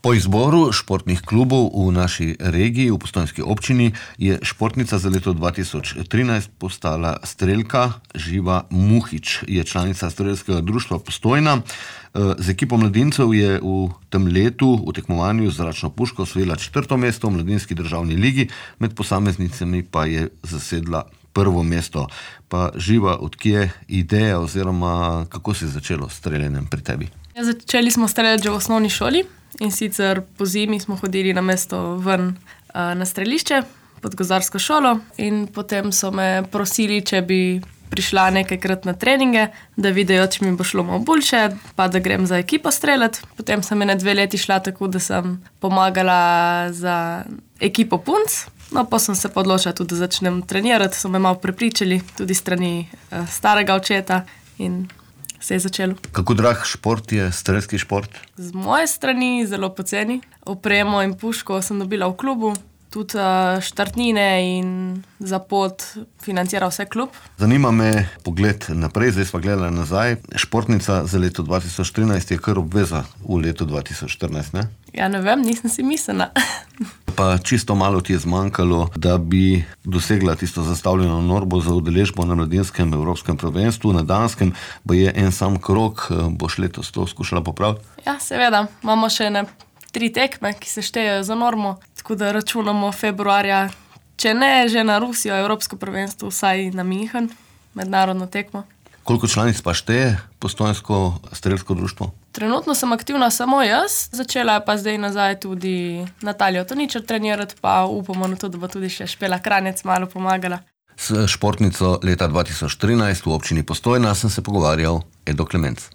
Po izboru športnih klubov v naši regiji, v Postojnski občini, je športnica za leto 2013 postala strelka Živa Muhič. Je članica strelskega društva Postojna. Z ekipo mladincev je v tem letu v tekmovanju z zračno puško osvojila 4. mesto v mladinski državni ligi, med posameznicami pa je zasedla 1. mesto. Pa Živa, odkje ideja oziroma kako se je začelo s streljanjem pri tebi? Začeli smo streljati že v osnovni šoli. In sicer po zimi smo hodili na mesto ven na strelišče pod gozdarsko šolo in potem so me prosili, če bi prišla nekajkrat na treninge, da vidijo, če mi bo šlo malo boljše, pa da grem za ekipo streljati. Potem sem 2 leti šla tako, da sem pomagala za ekipo punc. No, pa sem se odločila tudi, da začnem trenirati. So me malo prepričali, tudi strani starega očeta in se je začelo. Kako drag šport je strelski šport? Z moje strani zelo poceni. Opremo in puško sem dobila v klubu, tudi štartnine in za pot financira vse klub. Zanima me pogled naprej, zdaj sva gledala nazaj. Športnica za leto 2013 je kar obveza v letu 2014, ne? Ja, ne vem, nisem si mislila. Pa čisto malo ti je zmanjkalo, da bi dosegla tisto zastavljeno normo za udeležbo na mladinskem evropskem prvenstvu na Danskem, bo je en sam krog, boš letos to skušala popraviti? Ja, seveda. Imamo še 3 tekme, ki se štejejo za normo, tako da računamo februarja, če ne že na Rusijo, evropsko prvenstvo, vsaj na München, mednarodno tekmo. Koliko članic pa šteje Postojnsko strelsko društvo? Trenutno sem aktivna samo jaz, začela je pa zdaj nazaj tudi Natalija Toničar trenirati, pa upamo na to, da bo tudi še Špela Kranjec malo pomagala. S športnico leta 2013 v občini Postojna sem se pogovarjal Edo Klemenc.